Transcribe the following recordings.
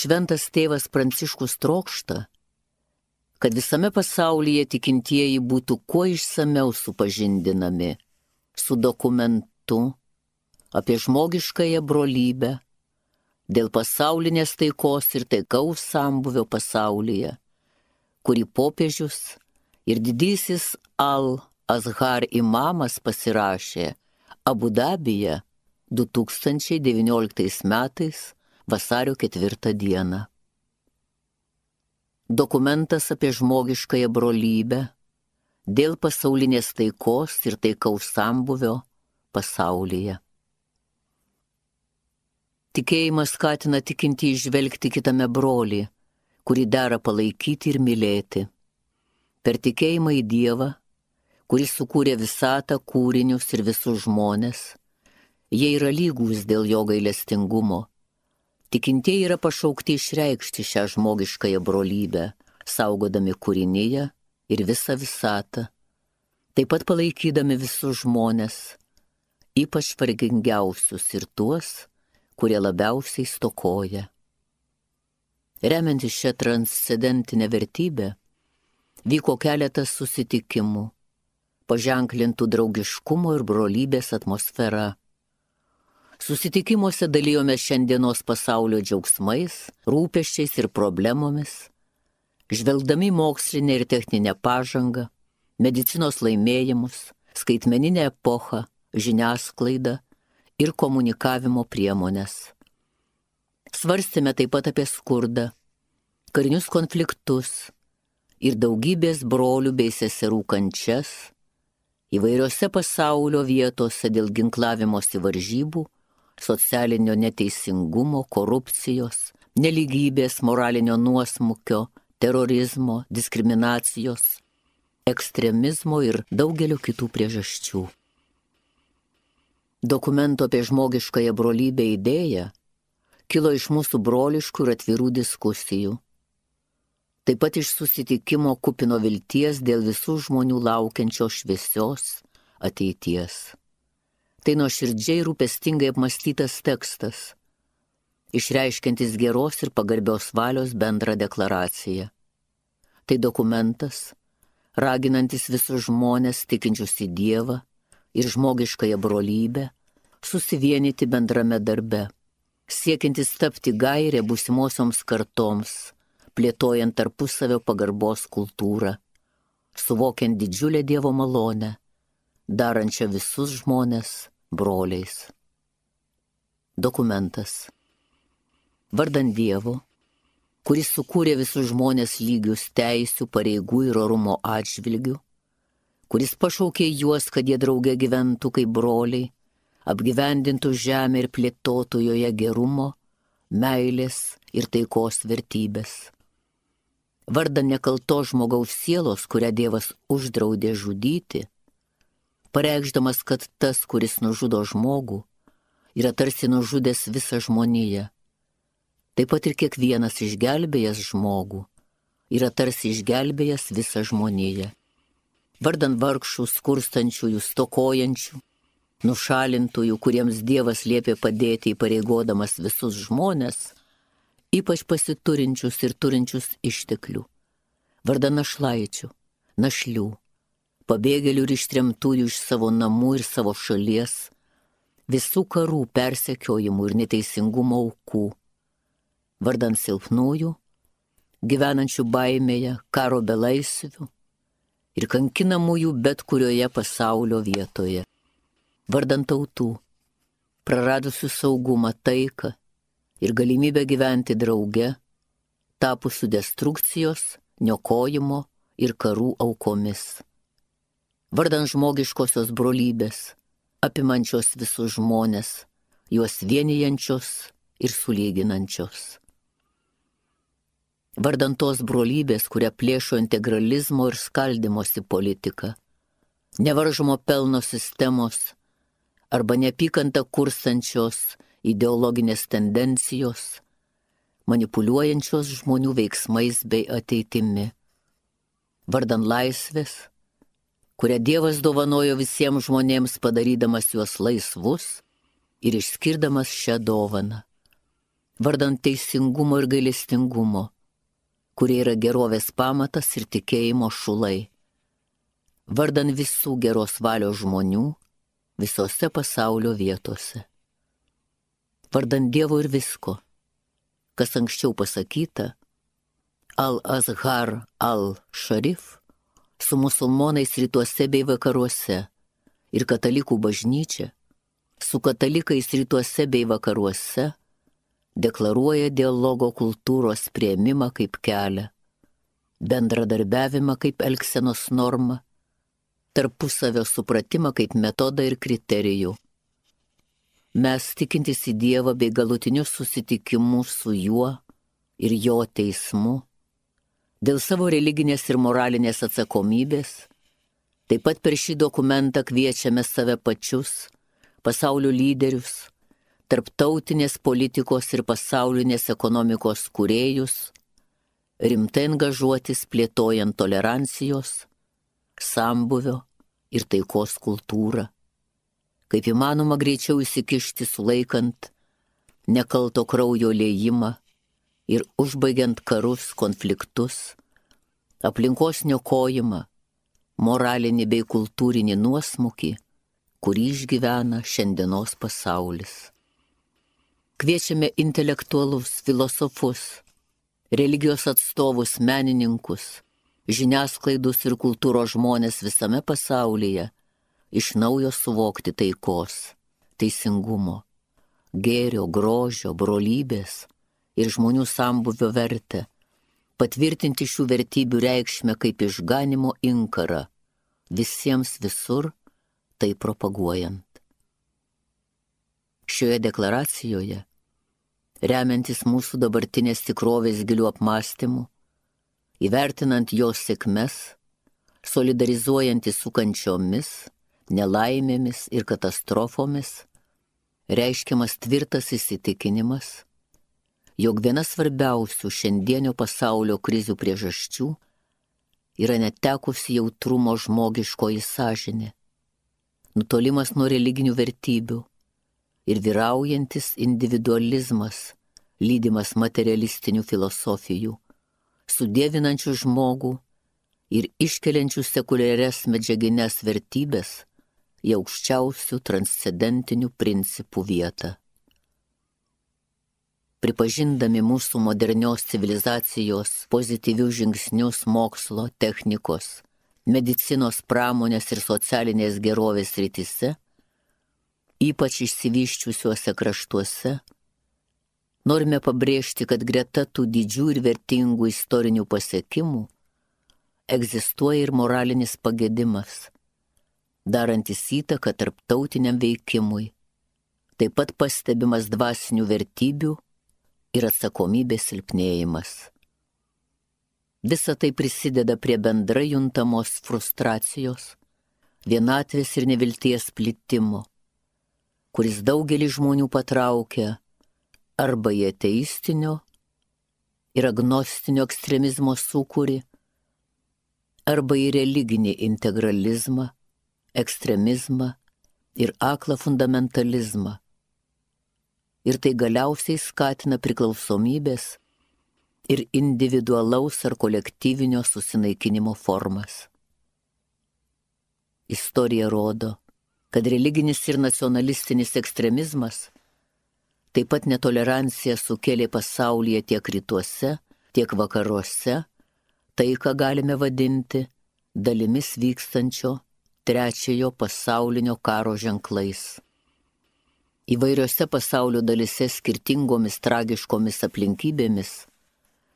Šventas tėvas Pranciškus trokšta, kad visame pasaulyje tikintieji būtų kuo išsameu supažindinami su dokumentu apie žmogiškąją brolybę dėl pasaulinės taikos ir taikaus sambūvio pasaulyje, kurį popiežius ir didysis Al-Azhar imamas pasirašė Abu Dabyje 2019 metais vasario 4 dieną. Dokumentas apie žmogiškąją brolybę dėl pasaulinės taikos ir taikaus sambūvio pasaulyje. Tikėjimas skatina tikintį įžvelgti kitame brolį, kurį dera palaikyti ir mylėti. Per tikėjimą į Dievą, kuris sukūrė visatą, kūrinius ir visus žmones, jie yra lygūs dėl jo gailestingumo. Tikintieji yra pašaukti išreikšti šią žmogiškąją brolybę, saugodami kūrinyje ir visą visatą, taip pat palaikydami visus žmones, ypač vargingiausius ir tuos, kurie labiausiai stokoja. Remiantis šią transcendentinę vertybę, vyko keletas susitikimų, paženklintų draugiškumo ir brolybės atmosfera. Susitikimuose dalijome šiandienos pasaulio džiaugsmais, rūpesčiais ir problemomis, žvelgdami mokslinę ir techninę pažangą, medicinos laimėjimus, skaitmeninę epochą, žiniasklaidą ir komunikavimo priemonės. Svarstėme taip pat apie skurdą, karinius konfliktus ir daugybės brolių bei seserų kančias įvairiose pasaulio vietose dėl ginklavimosi varžybų, socialinio neteisingumo, korupcijos, nelygybės, moralinio nuosmukio, terorizmo, diskriminacijos, ekstremizmo ir daugelio kitų priežasčių. Dokumento apie žmogiškąją brolybę idėja kilo iš mūsų broliškų ir atvirų diskusijų. Taip pat iš susitikimo kupino vilties dėl visų žmonių laukiančios šviesios ateities. Tai nuoširdžiai rūpestingai apmąstytas tekstas, išreiškiantis geros ir pagarbios valios bendrą deklaraciją. Tai dokumentas, raginantis visus žmones tikinčius į Dievą ir žmogiškąją brolybę, susivienyti bendrame darbe, siekiantis tapti gairę būsimosioms kartoms, plėtojant tarpusavio pagarbos kultūrą, suvokiant didžiulę Dievo malonę, darančią visus žmones broliais. Dokumentas. Vardan Dievo, kuris sukūrė visus žmones lygius teisių, pareigų ir orumo atžvilgių, kuris pašaukė juos, kad jie drauge gyventų kaip broliai, apgyvendintų žemę ir plėtotų joje gerumo, meilės ir taikos vertybės. Vardan nekaltos žmogaus sielos, kurią Dievas uždraudė žudyti, pareikšdamas, kad tas, kuris nužudo žmogų, yra tarsi nužudęs visą žmoniją. Taip pat ir kiekvienas išgelbėjęs žmogų yra tarsi išgelbėjęs visą žmoniją. Vardan vargšų, skurstančiųjų, stokojančių, nušalintųjų, kuriems Dievas liepė padėti įpareigodamas visus žmones, ypač pasiturinčius ir turinčius išteklių. Vardan našlaičių, našlių, pabėgėlių ir ištremtųjų iš savo namų ir savo šalies, visų karų, persekiojimų ir neteisingumo aukų. Vardan silpnųjų, gyvenančių baimėje, karo belaisvių ir kankinamųjų bet kurioje pasaulio vietoje. Vardan tautų, praradusių saugumą, taiką ir galimybę gyventi drauge, tapusių destrukcijos, niokojimo ir karų aukomis. Vardan žmogiškosios brolybės, apimančios visus žmones, juos vienijančios ir sulyginančios. Vardan tos brolybės, kurią plėšo integralizmo ir skaldimosi politika, nevaržomo pelno sistemos arba neapykantą kurstančios ideologinės tendencijos, manipuliuojančios žmonių veiksmais bei ateitimi. Vardan laisvės, kurią Dievas dovanojo visiems žmonėms, padarydamas juos laisvus ir išskirdamas šią dovaną. vardan teisingumo ir gailestingumo, kurie yra gerovės pamatas ir tikėjimo šulai, vardan visų geros valios žmonių visose pasaulio vietose, vardan Dievo ir visko, kas anksčiau pasakyta, Al-Azhar al-Sharif su musulmonais rytuose bei vakaruose ir katalikų bažnyčia su katalikais rytuose bei vakaruose deklaruoja dialogo kultūros priėmimą kaip kelią, bendradarbiavimą kaip elgsenos normą, tarpusavio supratimą kaip metodą ir kriterijų. Mes tikintys į Dievą bei galutinius susitikimus su juo ir jo teismu, dėl savo religinės ir moralinės atsakomybės, taip pat per šį dokumentą kviečiame save pačius, pasaulio lyderius, tarptautinės politikos ir pasaulinės ekonomikos kūrėjus, rimtai angažuotis plėtojant tolerancijos, sambuvio ir taikos kultūrą, kaip įmanoma greičiau įsikišti sulaikant nekalto kraujo liejimą ir užbaigiant karus, konfliktus, aplinkos niokojimą, moralinį bei kultūrinį nuosmukį, kurį išgyvena šiandienos pasaulis. Kviečiame intelektualus, filosofus, religijos atstovus, menininkus, žiniasklaidus ir kultūros žmonės visame pasaulyje iš naujo suvokti taikos, teisingumo, gėrio, grožio, brolybės ir žmonių sambūvio vertę, patvirtinti šių vertybių reikšmę kaip išganimo inkarą, visiems visur tai propaguojant. Šioje deklaracijoje, remiantis mūsų dabartinės tikrovės gilių apmąstymų, įvertinant jos sėkmes, solidarizuojantis su kančiomis, nelaimėmis ir katastrofomis, reiškiamas tvirtas įsitikinimas, jog viena svarbiausių šiandienio pasaulio krizių priežasčių yra netekusi jautrumo žmogiškoji sąžinė, nutolimas nuo religinių vertybių ir vyraujantis individualizmas, lydimas materialistinių filosofijų, sudievinančių žmogų ir iškeliančių sekuliarias medžiagines vertybės į aukščiausių transcendentinių principų vietą. Pripažindami mūsų modernios civilizacijos pozityvius žingsnius mokslo, technikos, medicinos, pramonės ir socialinės gerovės srityse, ypač išsivyščiusiuose kraštuose, norime pabrėžti, kad greta tų didžių ir vertingų istorinių pasiekimų egzistuoja ir moralinis pagedimas, darantis įtaką tarptautiniam veikimui, taip pat pastebimas dvasinių vertybių ir atsakomybės silpnėjimas. Visa tai prisideda prie bendrai juntamos frustracijos, vienatvės ir nevilties plitimo, kuris daugelį žmonių patraukia arba į ateistinio ir agnostinio ekstremizmo sūkurį, arba į religinį integralizmą, ekstremizmą ir aklą fundamentalizmą. Ir tai galiausiai skatina priklausomybės ir individualaus ar kolektyvinio susinaikinimo formas. Istorija rodo, kad religinis ir nacionalistinis ekstremizmas, taip pat netolerancija sukėlė pasaulyje tiek rytuose, tiek vakaruose, tai, ką galime vadinti dalimis vykstančio trečiojo pasaulinio karo ženklais. Įvairiose pasaulio dalise skirtingomis tragiškomis aplinkybėmis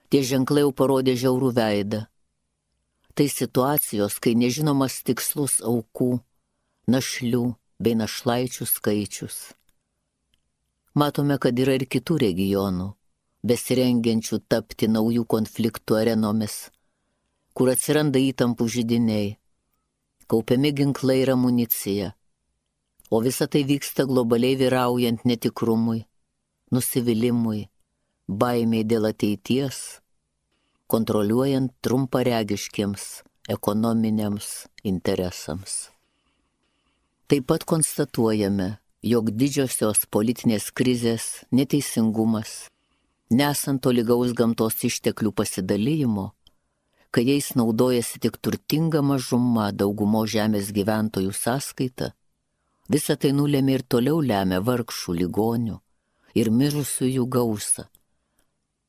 tie ženklai jau parodė žiaurų veidą. Tai situacijos, kai nežinomas tikslus aukų, našlių bei našlaičių skaičius. Matome, kad yra ir kitų regionų, besirengiančių tapti naujų konfliktų arenomis, kur atsiranda įtampų židiniai, kaupiami ginklai ir amunicija, o visa tai vyksta globaliai vyraujant netikrumui, nusivylimui, baimiai dėl ateities, kontroliuojant trumparegiškiems ekonominiams interesams. Taip pat konstatuojame, jog didžiosios politinės krizės, neteisingumas nesant tolygaus gamtos išteklių pasidalijimo, kai jais naudojasi tik turtinga mažuma daugumo žemės gyventojų sąskaita, visa tai nulėmė ir toliau lemia vargšų, ligonių ir mirusiųjų gausą.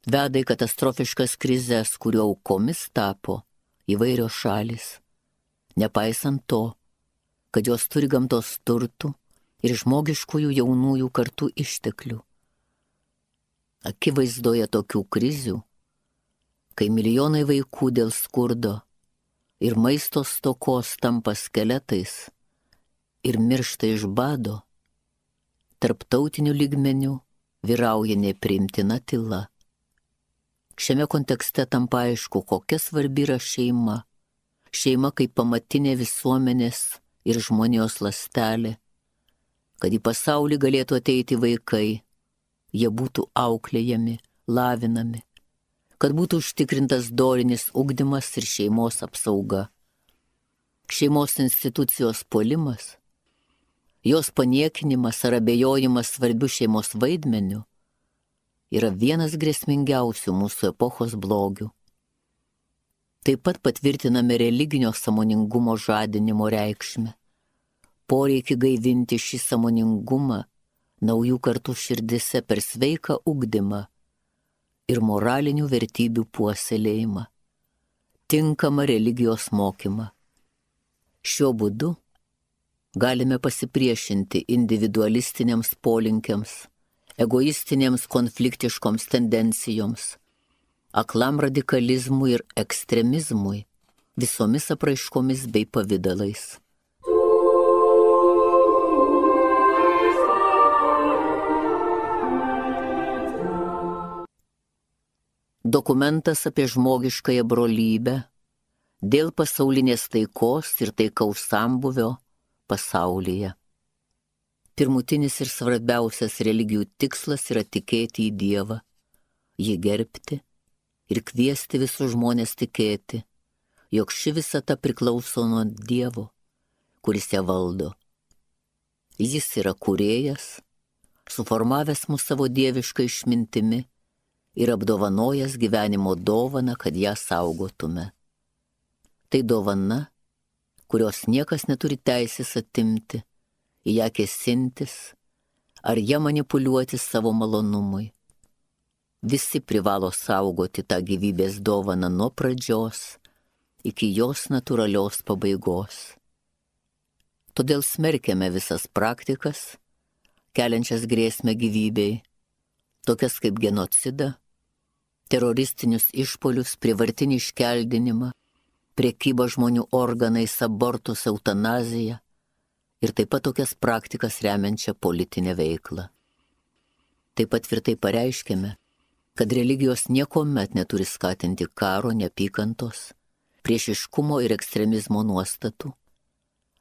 Veda į katastrofiškas krizes, kurio aukomis tapo įvairios šalis, nepaisant to, kad jos turi gamtos turtų ir žmogiškųjų jaunųjų kartų išteklių. Akivaizdoje tokių krizių, kai milijonai vaikų dėl skurdo ir maisto stokos tampa skeletais ir miršta iš bado, tarptautiniu lygmeniu vyrauja nepriimtina tyla. Šiame kontekste tampa aišku, kokia svarbi yra šeima. Šeima kaip pamatinė visuomenės ir žmonijos ląstelė, kad į pasaulį galėtų ateiti vaikai, jie būtų auklėjami, lavinami, kad būtų užtikrintas dorinis ugdymas ir šeimos apsauga. Šeimos institucijos puolimas, jos paniekinimas ar abejojimas svarbiu šeimos vaidmeniu yra vienas grėsmingiausių mūsų epochos blogių. Taip pat patvirtiname religinio sąmoningumo žadinimo reikšmę, poreikį gaivinti šį sąmoningumą naujų kartų širdise per sveiką ugdymą ir moralinių vertybių puoselėjimą, tinkamą religijos mokymą. Šiuo būdu galime pasipriešinti individualistiniams polinkiams, egoistinėms konfliktiškoms tendencijoms, aklam radikalizmui ir ekstremizmui visomis apraiškomis bei pavidalais. Dokumentas apie žmogiškąją brolybę dėl pasaulinės taikos ir taikaus sambūvio pasaulyje. Pirmutinis ir svarbiausias religijų tikslas yra tikėti į Dievą, jį gerbti ir kviesti visus žmonės tikėti, jog ši visata priklauso nuo Dievo, kuris ją valdo. Jis yra kūrėjas, suformavęs mus savo dievišką išmintimi ir apdovanojęs gyvenimo dovaną, kad ją saugotume. Tai dovana, kurios niekas neturi teisės atimti, į ją kėsintis ar ją manipuliuoti savo malonumui. Visi privalo saugoti tą gyvybės dovaną nuo pradžios iki jos natūralios pabaigos. Todėl smerkiame visas praktikas, keliančias grėsmę gyvybei, tokias kaip genocidą, teroristinius išpolius, prievartinį iškeldinimą, prekybą žmonių organais, abortus, eutanaziją ir taip pat tokias praktikas remiančią politinę veiklą. Taip pat tvirtai pareiškėme, kad religijos niekuomet neturi skatinti karo, neapykantos, priešiškumo ir ekstremizmo nuostatų,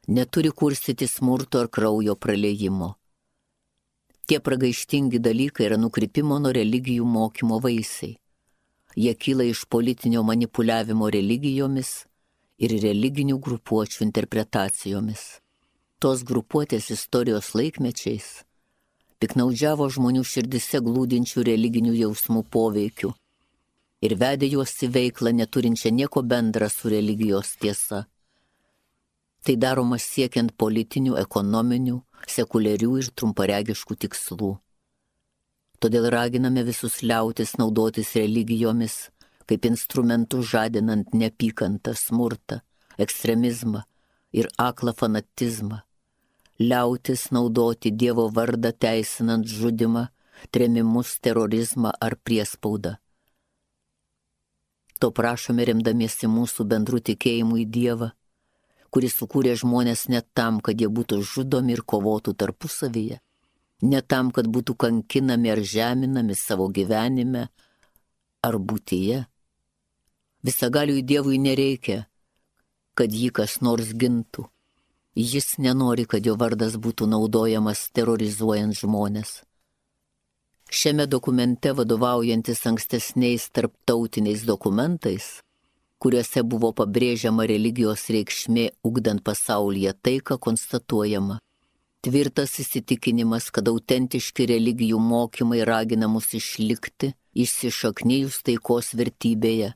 neturi kurstyti smurto ar kraujo praliejimo. Tie pragaištingi dalykai yra nukrypimo nuo religijų mokymo vaisiai. Jie kyla iš politinio manipuliavimo religijomis ir religinių grupuočių interpretacijomis. Tos grupuotės istorijos laikmečiais piknaudžiavo žmonių širdise glūdinčių religinių jausmų poveikių ir vedė juos į veiklą neturinčią nieko bendra su religijos tiesa. Tai daroma siekiant politinių, ekonominių, sekuliarių ir trumparegiškų tikslų. Todėl raginame visus liautis naudotis religijomis kaip instrumentų žadinant neapykantą, smurtą, ekstremizmą ir aklą fanatizmą, liautis naudoti Dievo vardą teisinant žudimą, trėmimus, terorizmą ar priespaudą. To prašome remdamiesi mūsų bendrų tikėjimų į Dievą, kuris sukūrė žmonės ne tam, kad jie būtų žudomi ir kovotų tarpusavyje, ne tam, kad būtų kankinami ar žeminami savo gyvenime ar būtyje. Visagaliui Dievui nereikia, kad jį kas nors gintų. Jis nenori, kad jo vardas būtų naudojamas terorizuojant žmonės. Šiame dokumente, vadovaujantis ankstesniais tarptautiniais dokumentais, kuriuose buvo pabrėžiama religijos reikšmė ugdant pasaulyje taiką, konstatuojama tvirtas įsitikinimas, kad autentiški religijų mokymai ragina mus išlikti įsišaknijus taikos vertybėje,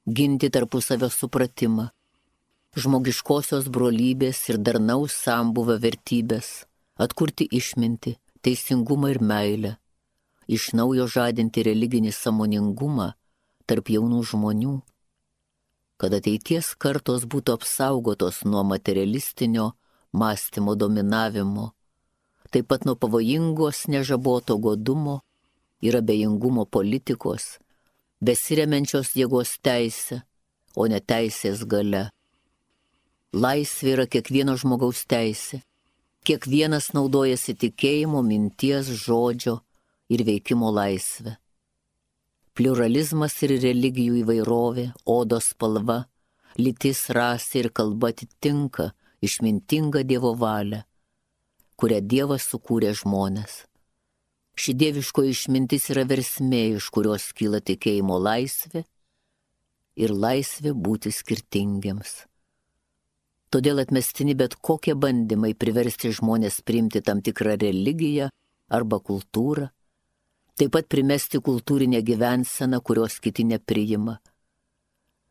ginti tarpusavio supratimą, žmogiškosios brolybės ir darnaus sambūvio vertybės, atkurti išmintį, teisingumą ir meilę, iš naujo žadinti religinį sąmoningumą tarp jaunų žmonių, kad ateities kartos būtų apsaugotos nuo materialistinio mąstymo dominavimo, taip pat nuo pavojingos nežaboto godumo ir abejingumo politikos, besiremiančios jėgos teisę, o ne teisės galia. Laisvė yra kiekvieno žmogaus teisė. Kiekvienas naudojasi tikėjimo, minties, žodžio ir veikimo laisvę. Pliuralizmas ir religijų įvairovė, odos spalva, lytis, rasė ir kalba atitinka išmintingą Dievo valią, kurią Dievas sukūrė žmonės. Ši dieviško išmintis yra versmė, iš kurios kyla tikėjimo laisvė ir laisvė būti skirtingiems. Todėl atmestini bet kokie bandymai priversti žmonės priimti tam tikrą religiją arba kultūrą, taip pat primesti kultūrinę gyvenseną, kurios kiti nepriima.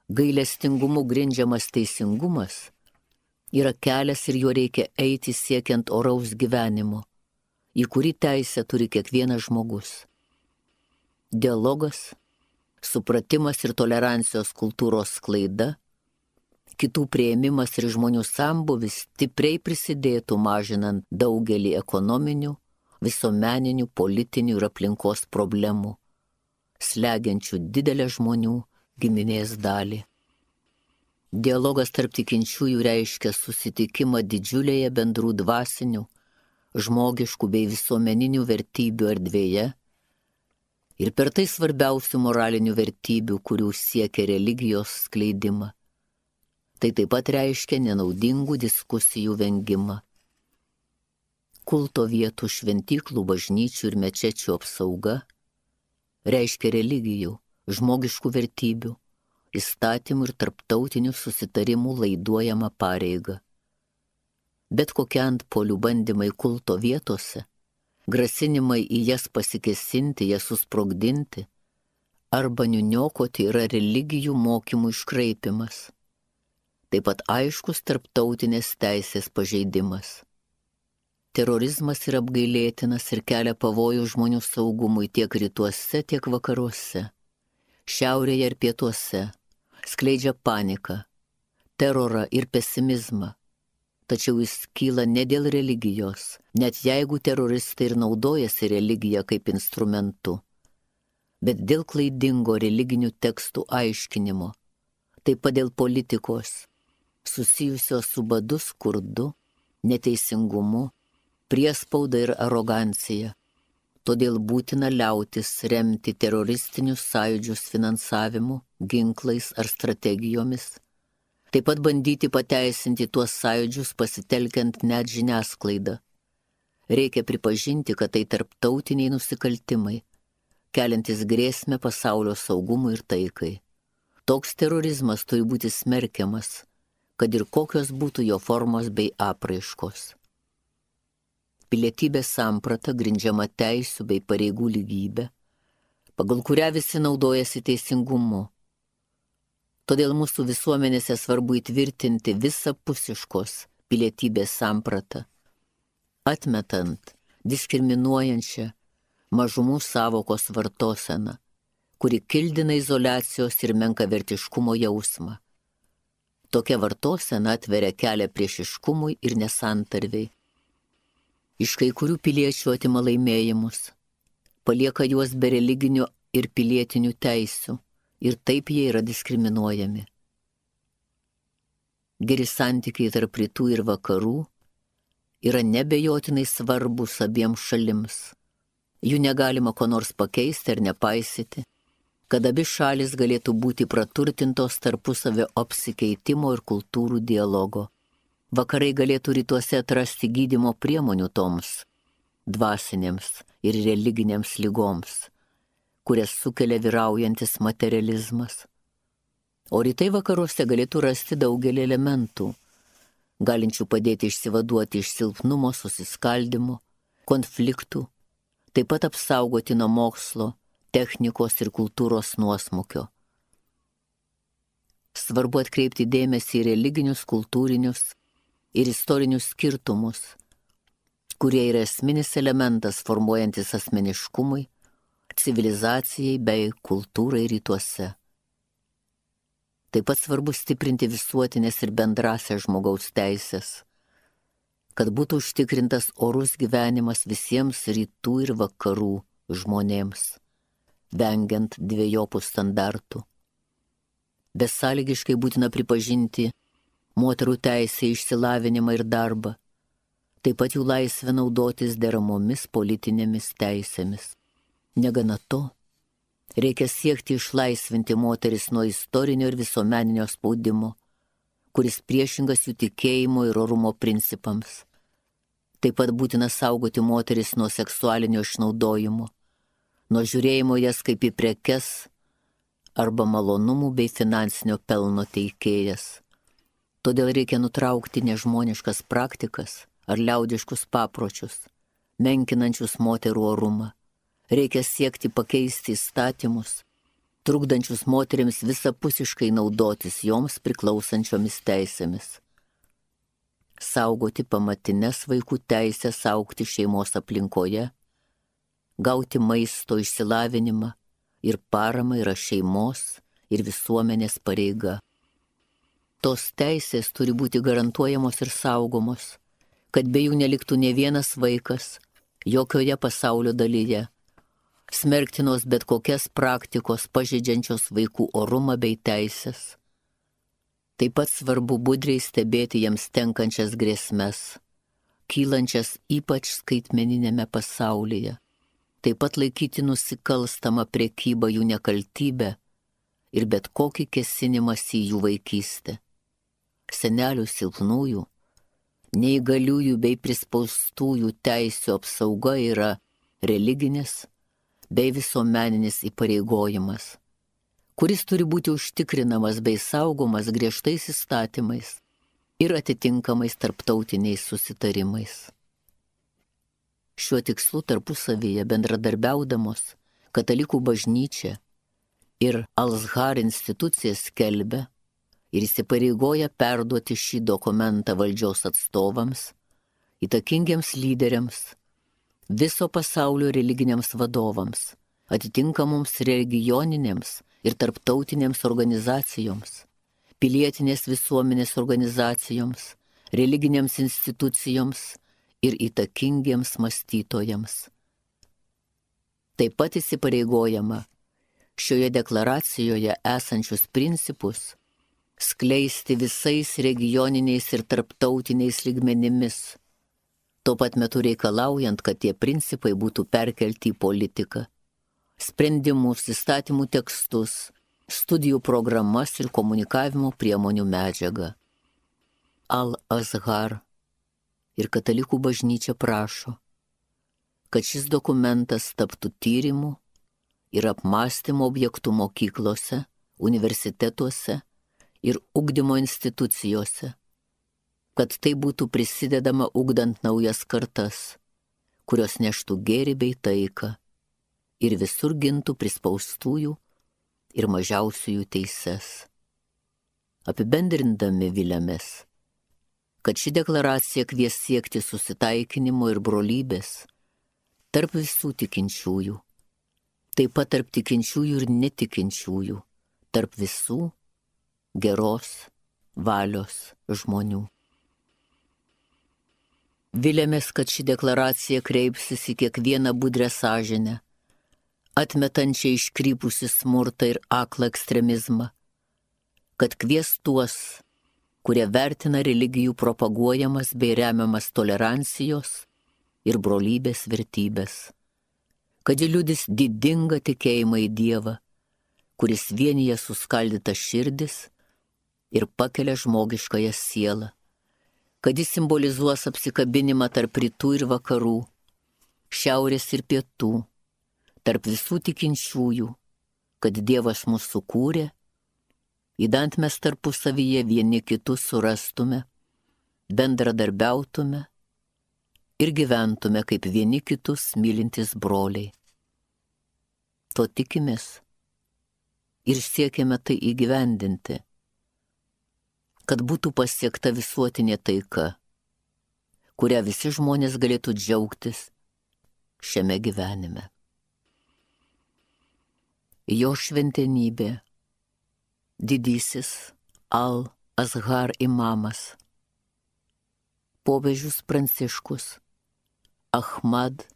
Gailestingumu grindžiamas teisingumas yra kelias ir juo reikia eiti siekiant oraus gyvenimo, į kurį teisę turi kiekvienas žmogus. Dialogas, supratimas ir tolerancijos kultūros sklaida, kitų priėmimas ir žmonių sambūvis stipriai prisidėtų mažinant daugelį ekonominių, visuomeninių, politinių ir aplinkos problemų, slegiančių didelę žmonių giminės dalį. Dialogas tarp tikinčiųjų reiškia susitikimą didžiulėje bendrų dvasinių, žmogiškų bei visuomeninių vertybių erdvėje ir per tai svarbiausių moralinių vertybių, kurių siekia religijos skleidimą. Tai taip pat reiškia nenaudingų diskusijų vengimą. Kulto vietų, šventyklų, bažnyčių ir mečečių apsauga reiškia religijų, žmogiškų vertybių, įstatymų ir tarptautinių susitarimų laiduojama pareiga. Bet kokie antpolių bandymai kulto vietose, grasinimai į jas pasikėsinti, jas susprogdinti arba niuniokoti yra religijų mokymų iškraipimas. Taip pat aiškus tarptautinės teisės pažeidimas. Terorizmas yra apgailėtinas ir kelia pavojų žmonių saugumui tiek rytuose, tiek vakaruose, šiaurėje ir pietuose, skleidžia paniką, terorą ir pesimizmą. Tačiau jis kyla ne dėl religijos, net jeigu teroristai ir naudojasi religiją kaip instrumentu, bet dėl klaidingo religinių tekstų aiškinimo, taip pat dėl politikos, susijusios su badu, skurdu, neteisingumu, priespauda ir arogancija. Todėl būtina liautis remti teroristinius sąjūdžius finansavimu, ginklais ar strategijomis, taip pat bandyti pateisinti tuos sąjūdžius pasitelkiant net žiniasklaidą. Reikia pripažinti, kad tai tarptautiniai nusikaltimai, keliantis grėsmę pasaulio saugumui ir taikai. Toks terorizmas turi būti smerkiamas, kad ir kokios būtų jo formos bei apraiškos. Pilietybės samprata grindžiama teisių bei pareigų lygybė, pagal kurią visi naudojasi teisingumu. Todėl mūsų visuomenėse svarbu įtvirtinti visapusiškos pilietybės sampratą, atmetant diskriminuojančią mažumų savokos vartoseną, kuri kildina izoliacijos ir menkavertiškumo jausmą. Tokia vartosena atveria kelią priešiškumui ir nesantarvei. Iš kai kurių piliečių atima laimėjimus, palieka juos be religinių ir pilietinių teisių ir taip jie yra diskriminuojami. Geri santykiai tarp rytų ir vakarų yra nebejotinai svarbus abiems šalims. Jų negalima ko nors pakeisti ar nepaisyti, kad abi šalis galėtų būti praturtintos tarpusavio apsikeitimo ir kultūrų dialogo. Vakarai galėtų rytuose atrasti gydymo priemonių toms dvasinėms ir religinėms ligoms, kurias sukelia vyraujantis materializmas. O rytai vakaruose galėtų rasti daugelį elementų, galinčių padėti išsivaduoti iš silpnumo, susiskaldimo, konfliktų, taip pat apsaugoti nuo mokslo, technikos ir kultūros nuosmukio. Svarbu atkreipti dėmesį į religinius, kultūrinius ir istorinius skirtumus, kurie yra esminis elementas formuojantis asmeniškumui, civilizacijai bei kultūrai rytuose. Taip pat svarbu stiprinti visuotinės ir bendrasias žmogaus teisės, kad būtų užtikrintas orus gyvenimas visiems rytų ir vakarų žmonėms, vengiant dviejopų standartų. Besąlygiškai būtina pripažinti moterų teisę į išsilavinimą ir darbą, taip pat jų laisvę naudotis deramomis politinėmis teisėmis. Negana to, reikia siekti išlaisvinti moteris nuo istorinio ir visuomeninio spaudimo, kuris priešingas jų tikėjimo ir orumo principams. Taip pat būtina saugoti moteris nuo seksualinio išnaudojimo, nuo žiūrėjimo jas kaip į prekes arba malonumų bei finansinio pelno teikėjas. Todėl reikia nutraukti nežmoniškas praktikas ar liaudiškus papročius, menkinančius moterų orumą. Reikia siekti pakeisti įstatymus, trukdančius moterims visapusiškai naudotis joms priklausančiomis teisėmis. Saugoti pamatines vaikų teisės augti šeimos aplinkoje, gauti maisto, išsilavinimą ir paramą yra šeimos ir visuomenės pareiga. Tos teisės turi būti garantuojamos ir saugomos, kad be jų neliktų nė vienas vaikas jokioje pasaulio dalyje, smerktinos bet kokias praktikos pažeidžiančios vaikų orumą bei teisės. Taip pat svarbu budriai stebėti jiems tenkančias grėsmes, kylančias ypač skaitmeninėme pasaulyje. Taip pat laikyti nusikalstamą prekybą jų nekaltybę ir bet kokį kėsinimąsi į jų vaikystę. Senelių silpnųjų, neįgaliųjų bei prispaustųjų teisių apsauga yra religinis bei visuomeninis įpareigojimas, kuris turi būti užtikrinamas bei saugomas griežtais įstatymais ir atitinkamais tarptautiniais susitarimais. Šiuo tikslu tarpusavyje bendradarbiaudamos Katalikų bažnyčia ir Al-Azhar institucija skelbia ir įsipareigoja perduoti šį dokumentą valdžios atstovams, įtakingiems lyderiams, viso pasaulio religiniams vadovams, atitinkamoms regioninėms ir tarptautinėms organizacijoms, pilietinės visuomenės organizacijoms, religinėms institucijoms ir įtakingiems mąstytojams. Taip pat įsipareigojama šioje deklaracijoje esančius principus skleisti visais regioniniais ir tarptautiniais lygmenimis, tuo pat metu reikalaujant, kad tie principai būtų perkelti į politiką, sprendimus, įstatymų tekstus, studijų programas ir komunikavimo priemonių medžiagą. Al-Azhar ir Katalikų bažnyčia prašo, kad šis dokumentas taptų tyrimų ir apmąstymo objektų mokyklose, universitetuose ir ugdymo institucijose, kad tai būtų prisidedama ugdant naujas kartas, kurios neštų gėrį bei taiką ir visur gintų prispaustųjų ir mažiausiųjų teises. Apibendrindami viliamės, kad ši deklaracija kvies siekti susitaikinimo ir brolybės tarp visų tikinčiųjų, taip pat tarp tikinčiųjų ir netikinčiųjų, tarp visų geros valios žmonių. Viliamės, kad ši deklaracija kreipsis į kiekvieną budrę sąžinę, atmetančią iškrypusi smurtą ir aklą ekstremizmą, kad kvies tuos, kurie vertina religijų propaguojamas bei remiamas tolerancijos ir brolybės vertybės, kad ji liudys didingą tikėjimą į Dievą, kuris vienyje suskaldytas širdis ir pakelia žmogiškąją sielą, kad jis simbolizuos apsikabinimą tarp rytų ir vakarų, šiaurės ir pietų, tarp visų tikinčiųjų, kad Dievas mus sukūrė, idant mes tarpusavyje vieni kitus surastume, bendradarbiautume ir gyventume kaip vieni kitus mylintys broliai. to tikimės ir siekiame tai įgyvendinti, kad būtų pasiekta visuotinė taika, kurią visi žmonės galėtų džiaugtis šiame gyvenime. Jo šventenybė, didysis Al-Azhar imamas, popiežius Pranciškus Ahmad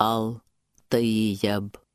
Al-Tayyab